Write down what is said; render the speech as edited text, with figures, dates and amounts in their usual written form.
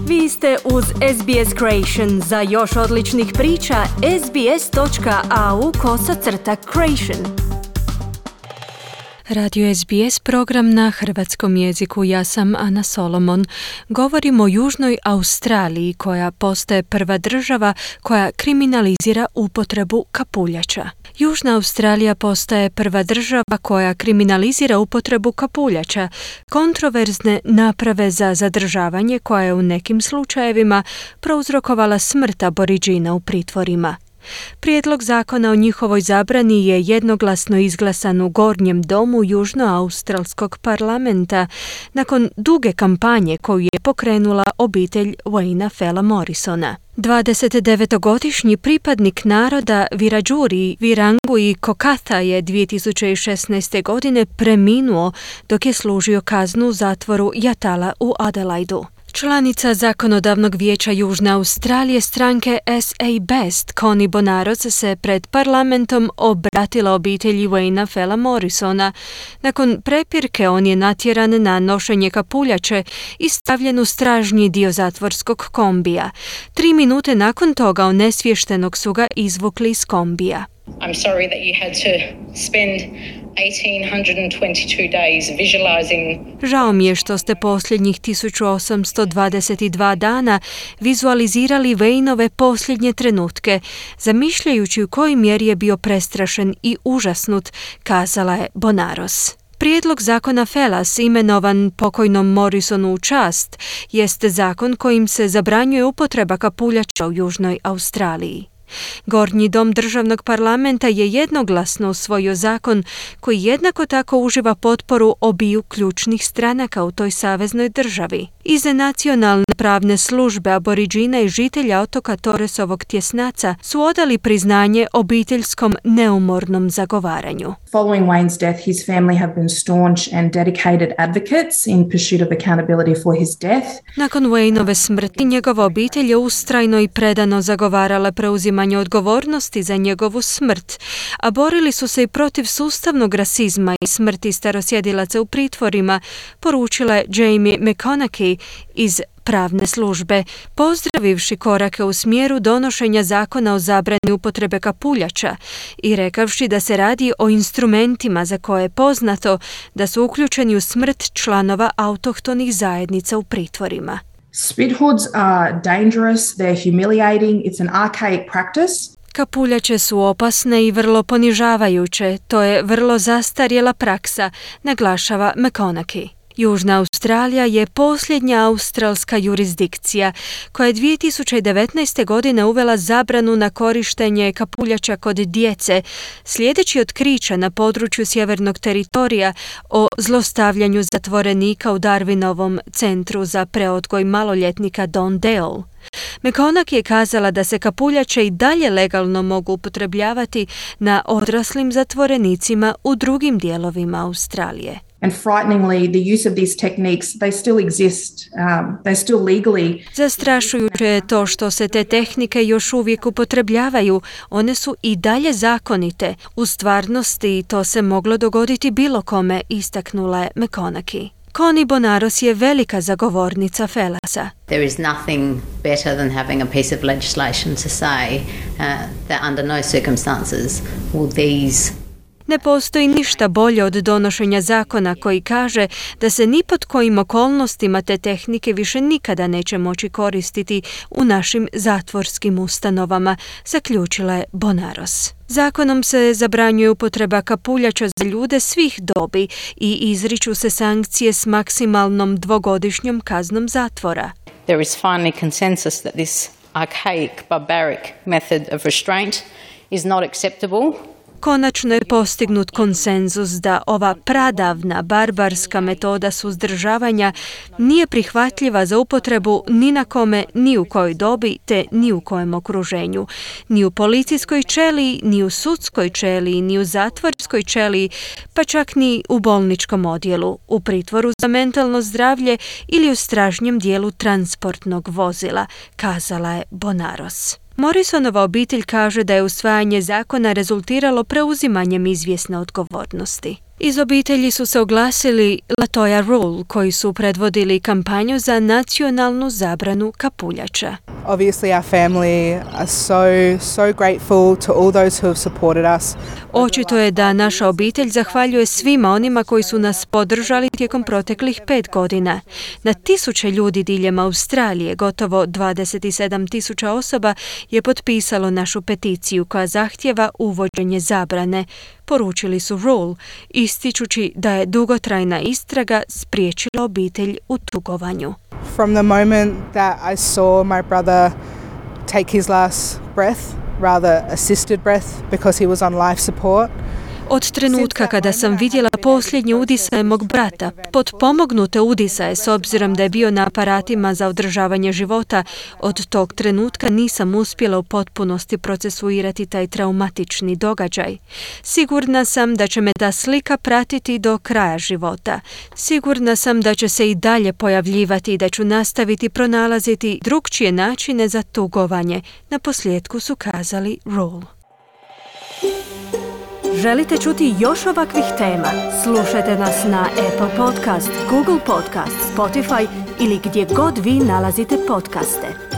Vi ste uz SBS Creation. Za još odličnih priča, sbs.au/creation. Radio SBS, program na hrvatskom jeziku. Ja sam Ana Solomon. Govorimo o Južnoj Australiji, koja postaje prva država koja kriminalizira upotrebu kapuljača. Južna Australija postaje prva država koja kriminalizira upotrebu kapuljača, kontroverzne naprave za zadržavanje koja je u nekim slučajevima prouzrokovala smrt Aboriđina u pritvorima. Prijedlog zakona o njihovoj zabrani je jednoglasno izglasan u Gornjem domu Južnoaustralskog parlamenta nakon duge kampanje koju je pokrenula obitelj Wayna Fella Morrisona. 29-godišnji pripadnik naroda Wiradjuri, Wirangu i Kokatha je 2016. godine preminuo dok je služio kaznu u zatvoru Yatala u Adelaidu. Članica zakonodavnog vijeća Južne Australije stranke SA Best, Connie Bonaros, se pred parlamentom obratila obitelji Wayna Fella Morrisona. Nakon prepirke on je natjeran na nošenje kapuljače i stavljen u stražnji dio zatvorskog kombija. 3 minute nakon toga onesviještenog su ga izvukli iz kombija. I'm sorry that you had to spend 1822 days visualizing. Žao mi je što ste posljednjih 1822 dana vizualizirali Waynove posljednje trenutke, zamišljajući u kojoj mjeri je bio prestrašen i užasnut, kazala je Bonaros. Prijedlog zakona Fellas, imenovan pokojnom Morrisonu u čast, jeste zakon kojim se zabranjuje upotreba kapuljača u Južnoj Australiji. Gornji dom državnog parlamenta je jednoglasno usvojio zakon koji jednako tako uživa potporu obiju ključnih stranaka u toj saveznoj državi. Iz nacionalne pravne službe Aboriđina i žitelja otoka Torresovog tjesnaca su odali priznanje obiteljskom neumornom zagovaranju. Following Wayne's death, his family have been staunch and dedicated advocates in pursuit of accountability for his death. Nakon Waynove smrti, njegova obitelj je ustrajno i predano zagovarala preuzimanje odgovornosti za njegovu smrt, a borili su se i protiv sustavnog rasizma i smrti starosjedilaca u pritvorima, poručila je Jamie McConaughey iz pravne službe, pozdravivši korake u smjeru donošenja zakona o zabrani upotrebe kapuljača i rekavši da se radi o instrumentima za koje je poznato da su uključeni u smrt članova autohtonih zajednica u pritvorima. Spit hoods are dangerous, they're humiliating, it's an archaic practice. Kapuljače su opasne i vrlo ponižavajuće, to je vrlo zastarjela praksa, naglašava McConaughey. Južna Australija je posljednja australska jurisdikcija koja je 2019. godine uvela zabranu na korištenje kapuljača kod djece, slijedeći otkrića na području sjevernog teritorija o zlostavljanju zatvorenika u Darwinovom centru za preodgoj maloljetnika Don Dale. McConaughey je kazala da se kapuljače i dalje legalno mogu upotrebljavati na odraslim zatvorenicima u drugim dijelovima Australije. And frighteningly, the use of these techniques, they still exist, they're still legally. Zastrašujuće je to što se te tehnike još uvijek upotrebljavaju. One su i dalje zakonite. U stvarnosti to se moglo dogoditi bilo kome, istaknula je McConaughey. Connie Bonaros je velika zagovornica Fellasa. There is nothing better than having a piece of legislation to say that under no circumstances will these. Ne postoji ništa bolje od donošenja zakona koji kaže da se ni pod kojim okolnostima te tehnike više nikada neće moći koristiti u našim zatvorskim ustanovama, zaključila je Bonaros. Zakonom se zabranjuje upotreba kapuljača za ljude svih dobi i izriču se sankcije s maksimalnom 2-godišnjom kaznom zatvora. There is finally consensus that this archaic, barbaric method of restraint is not acceptable. Konačno je postignut konsenzus da ova pradavna, barbarska metoda suzdržavanja nije prihvatljiva za upotrebu ni na kome, ni u kojoj dobi, te ni u kojem okruženju. Ni u policijskoj ćeliji, ni u sudskoj ćeliji, ni u zatvorskoj ćeliji, pa čak ni u bolničkom odjelu, u pritvoru za mentalno zdravlje ili u stražnjem dijelu transportnog vozila, kazala je Bonaros. Morrisonova obitelj kaže da je usvajanje zakona rezultiralo preuzimanjem izvjesne odgovornosti. Iz obitelji su se oglasili Latoya Rule, koji su predvodili kampanju za nacionalnu zabranu kapuljača. Obviously our family are so grateful to all those who have supported us. Očito je da naša obitelj zahvaljuje svima onima koji su nas podržali tijekom proteklih 5 godina. Na tisuće ljudi diljem Australije, gotovo 27,000 osoba, je potpisalo našu peticiju koja zahtijeva uvođenje zabrane, poručili su Rule, ističući da je dugotrajna istraga spriječila obitelj u tugovanju. From the moment that I saw my brother take his last breath, rather assisted breath, because he was on life support. Od trenutka kada sam vidjela posljednje udisaje mog brata, potpomognute udisaje s obzirom da je bio na aparatima za održavanje života, od tog trenutka nisam uspjela u potpunosti procesuirati taj traumatični događaj. Sigurna sam da će me ta slika pratiti do kraja života. Sigurna sam da će se i dalje pojavljivati i da ću nastaviti pronalaziti drukčije načine za tugovanje, na posljedku su kazali Rule. Želite čuti još ovakvih tema? Slušajte nas na Apple Podcast, Google Podcast, Spotify ili gdje god vi nalazite podcaste.